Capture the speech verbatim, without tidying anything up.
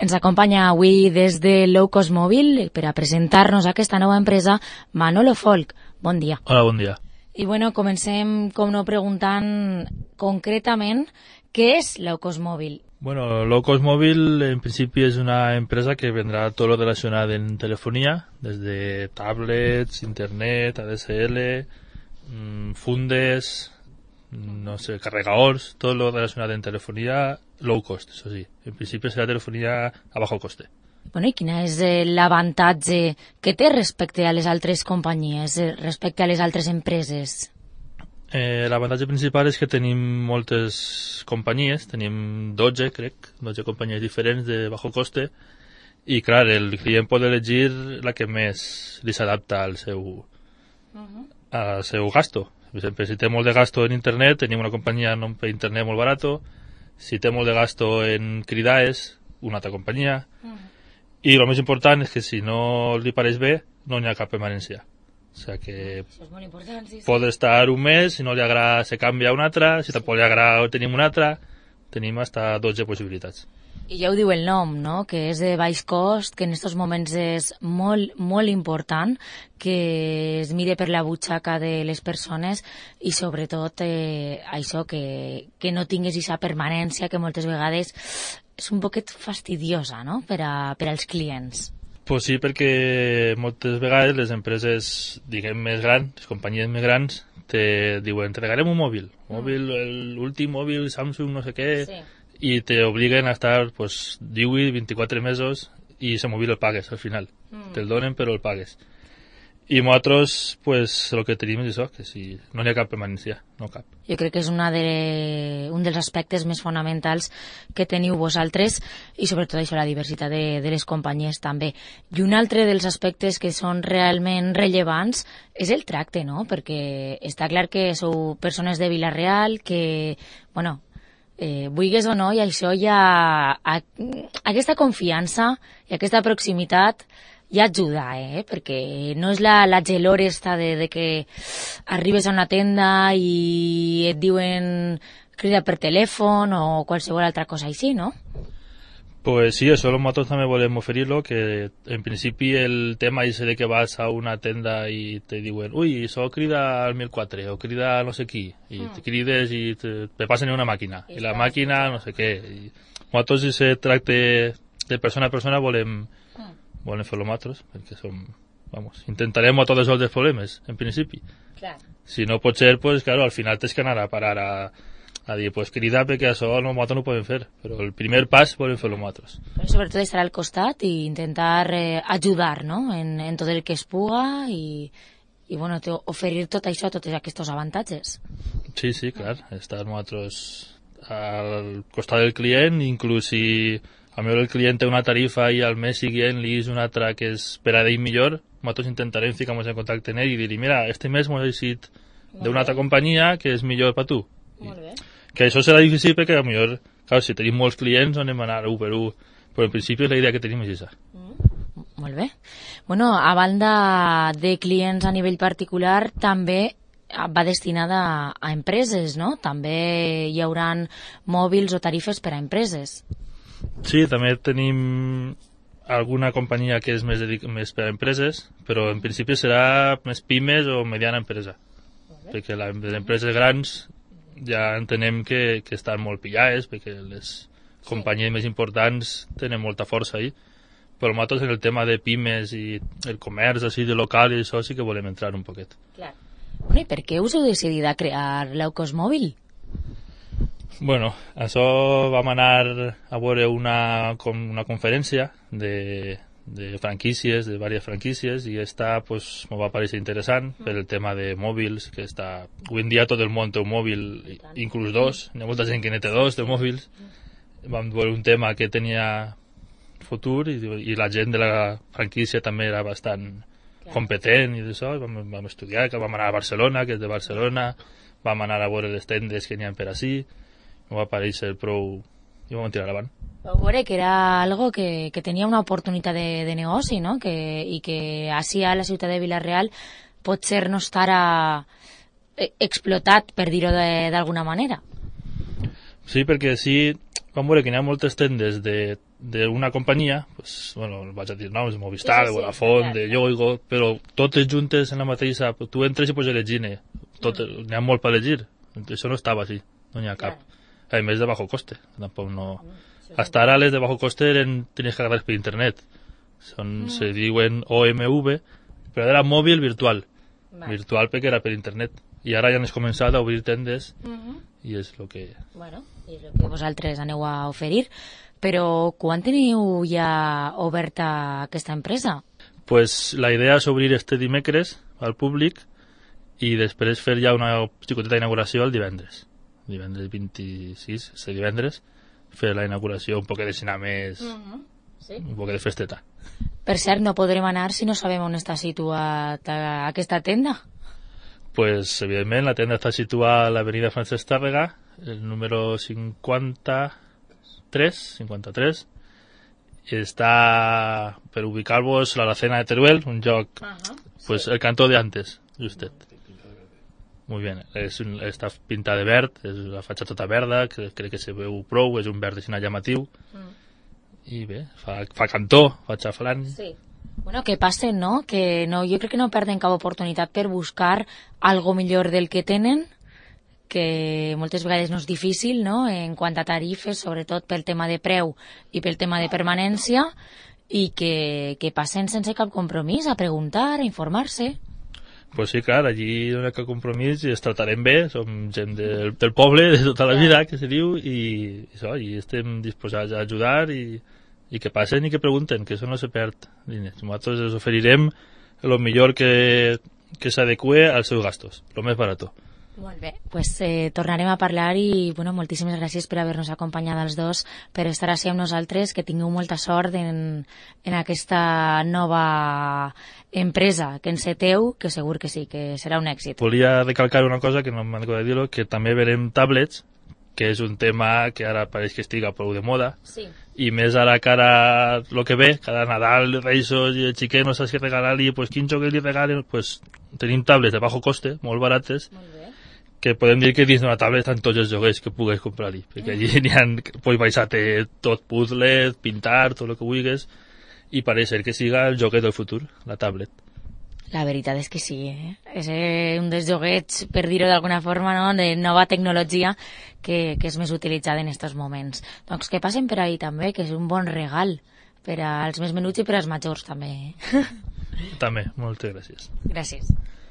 Ens acompanya avui des de Low Cost Mòbil per a presentar-nos aquesta nova empresa Manolo Folk. Bon dia. Hola, bon dia. I bueno, comencem, com no, preguntant concretament què és Low Cost Mòbil. Bueno, Low Cost Mòbil en principi és una empresa que vendrà tot lo relacionat en telefonía, desde tablets, internet, A D S L, mmm, fundes, no sé, carregadors, tot lo relacionat en telefonía low cost, eso sí. En principi serà telefonía a bajo coste. Bueno, i quin és l'avantatge que té respecte a les altres companyies, respecte a les altres empreses? Eh, L'avantatge principal és que tenim moltes companyies, tenim dotze, crec, dotze companyies diferents de bajo coste, i clar, el client pot elegir la que més li s'adapta al seu, uh-huh. al seu gasto. Per exemple, si té molt de gasto en internet, tenim una companyia per internet molt barato. Si té molt de gasto en cridaes, una altra companyia. Uh-huh. I el més important és que si no li pareix bé, no hi ha cap permanència. O sigui que Això és molt important, sí, sí. pot estar un mes, si no li agrada se canvia a una altra, si tampoc li agrada tenim una altra, tenim hasta dotze possibilitats. I ja ho diu el nom, no?, que és de baix cost, que en aquests moments és molt, molt important que es mire per la butxaca de les persones i sobretot eh, això, que, que no tingués aquesta permanència que moltes vegades és un poquet fastidiosa, no?, per, a, per als clients. Pues sí, perquè moltes vegades les empreses, diguem, més grans, les companyies més grans, te diuen, te regalem un mòbil, mòbil, l'últim mòbil Samsung, no sé què, sí. I te obliguen a estar pues, divuit, vint-i-quatre mesos i ese mòbil el pagues al final. Mm. Te'l donen però el pagues. I nosaltres, pues, el que tenim és això, que si no hi ha cap permanència, no cap. Jo crec que és una de, un dels aspectes més fonamentals que teniu vosaltres i sobretot això, la diversitat de, de les companyies també. I un altre dels aspectes que són realment rellevants és el tracte, no? Perquè està clar que sou persones de Vila-real, que, bueno, eh, vulguis o no, i això ja, a, aquesta confiança i aquesta proximitat ja ajuda, eh? Perquè no és la, la gelor esta de, de que arribes a una tenda i et diuen crida per telèfon o qualsevol altra cosa així, no? Pues sí, eso nosotros también volem oferir-lo, que en principi el tema és de que vas a una tenda i te diuen, ui, això crida al mil quatre o crida no sé qui, i mm. te crides i te, te passen en una màquina, i, i la màquina no sé què. I nosaltres, si se tracte de persona a persona, volem volem fer-lo nosaltres, perquè som, vamos, intentarem a tots els problemes, en principi. Clar. Si no pot ser, pues, claro, al final tens que anar a parar a, a dir, pues, crida, perquè això nosaltres no ho podem fer, però el primer pas volem fer-lo nosaltres. Però sobretot estar al costat i intentar eh, ajudar, no?, en, en tot el que es puga i, i bueno, oferir tot això, tots aquests avantatges. Sí, sí, clar, estar nosaltres al costat del client, inclús si a millor el client té una tarifa i al mes siguient li és una altra que és per a ell millor, nosaltres intentarem ficar-nos en contacte amb ell i dir-li, mira, este mes m'ho he decidit d'una altra companyia que és millor per tu. Molt bé. Que això serà difícil perquè a millor, clar, si tenim molts clients anem a anar un per un, però en principi la idea que tenim és aquesta. Mm. Molt bé. Bueno, a banda de clients a nivell particular, també va destinada a empreses, no? També hi haurà mòbils o tarifes per a empreses. Sí, també tenim alguna companyia que és més, dedic- més per a empreses, però en principi serà més pimes o mediana empresa. Perquè la, les empreses grans ja entenem que, que estan molt pillades, perquè les companyies més importants tenen molta força ahí. Però nosaltres en el tema de pimes i el comerç així de local i això sí que volem entrar un poquet. Clar. Bueno, i per què us heu decidit a crear Low Cost Mòbil? Bueno, això vam anar a veure una, una conferència de, de franquícies, de diverses franquícies, i esta pues, m'ho va parecer interessant mm. per el tema de mòbils, que està... Avui en dia tot el món té un mòbil, inclús dos, hi ha molta gent que ne té dos de mòbils. Vam veure un tema que tenia futur i, i la gent de la franquícia també era bastant Clar. competent i d'això, vam, vam estudiar, que vam anar a Barcelona, que és de Barcelona, vam anar a veure les tendes que n'hi ha per ací, m'ho va aparèixer prou i vam tirar avant. Vau veure que era algo que, que tenia una oportunitat de, de negoci, no? Que, i que així a la ciutat de Vila-real potser no estarà explotat, per dir-ho d'alguna manera. Sí, perquè sí, vam veure que hi ha moltes tendes d'una companyia, pues, bueno, vaig a dir noms, de Movistar, sí, sí, de Vodafone, sí, de Yoigo, però totes juntes en la mateixa, tu entres i pots elegir, n'hi ha molt per elegir, això no estava així, no n'hi ha cap. A més de bajo coste, tampoc no... Hasta ara les de bajo coste eren, tenies que agarrar per internet, Son, mm. se diuen O M V, però era mòbil virtual, vale. virtual perquè era per internet, i ara ja han començat a obrir tendes, mm -hmm. i és el que... Bueno, i és el que vosaltres aneu a oferir, però quan teniu ja oberta aquesta empresa? Pues la idea és obrir este dimecres al públic i després fer ja una xicoteta inauguració el divendres, divendres vint-i-sis, este divendres, fer la inauguració un poc de cine més, mm -hmm. sí. un poc de festeta. Per cert, no podrem anar si no sabem on està situat aquesta tenda. Pues, evidentment, la tenda està situada a l'avenida Francesc Tàrrega, el número cinquanta-tres, cinquanta-tres, i està per ubicar-vos a la Cena de Teruel, un lloc, uh -huh, pues, sí. el cantó de antes, justet. Muy bien, és un, està pintada de verd, és la fatxada tota verda, que crec que se veu prou, és un verd així llamatiu, mm. i bé, fa, fa cantó, fa xaflant. Sí. Bueno, que passen, no? Que no, jo crec que no perden cap oportunitat per buscar algo millor del que tenen, que moltes vegades no és difícil, no?, en quant a tarifes, sobretot pel tema de preu i pel tema de permanència, i que, que passen sense cap compromís a preguntar, a informar-se. Pues sí, clar, allí no hi ha cap compromís i es tratarem bé, som gent del, del poble de tota la vida, que se diu, i, això, i estem disposats a ajudar i, i que passen i que pregunten, que això no se perd diners. Nosaltres els oferirem el millor que, que s'adeqüe als seus gastos, el més barat. Molt bé, pues eh, tornarem a parlar i bueno, moltíssimes gràcies per haver-nos acompanyat els dos, per estar així amb nosaltres, que tingueu molta sort en, en aquesta nova empresa que enceteu, que segur que sí, que serà un èxit. Volia recalcar una cosa que no m'han de dir-ho, que també verem tablets, que és un tema que ara pareix que estiga prou de moda, sí. i més ara que ara el que ve, cada Nadal, Reixos i el xiquet no saps què regalar-li, pues quin joc li regalen, pues tenim tablets de bajo coste, molt barates, molt bé, que podem dir que dins d'una tablet estan tots els joguets que pugues comprar-hi, perquè allí n'hi ha, pots baixar-te tot puzzles, pintar, tot el que vulguis, i pareix ser que siga el joguet del futur, la tablet. La veritat és que sí, eh? És un dels joguets, per dir-ho d'alguna forma, no?, de nova tecnologia que, que és més utilitzada en aquests moments. Doncs que passen per ahí també, que és un bon regal per als més menuts i per als majors també. També, moltes gràcies. Gràcies.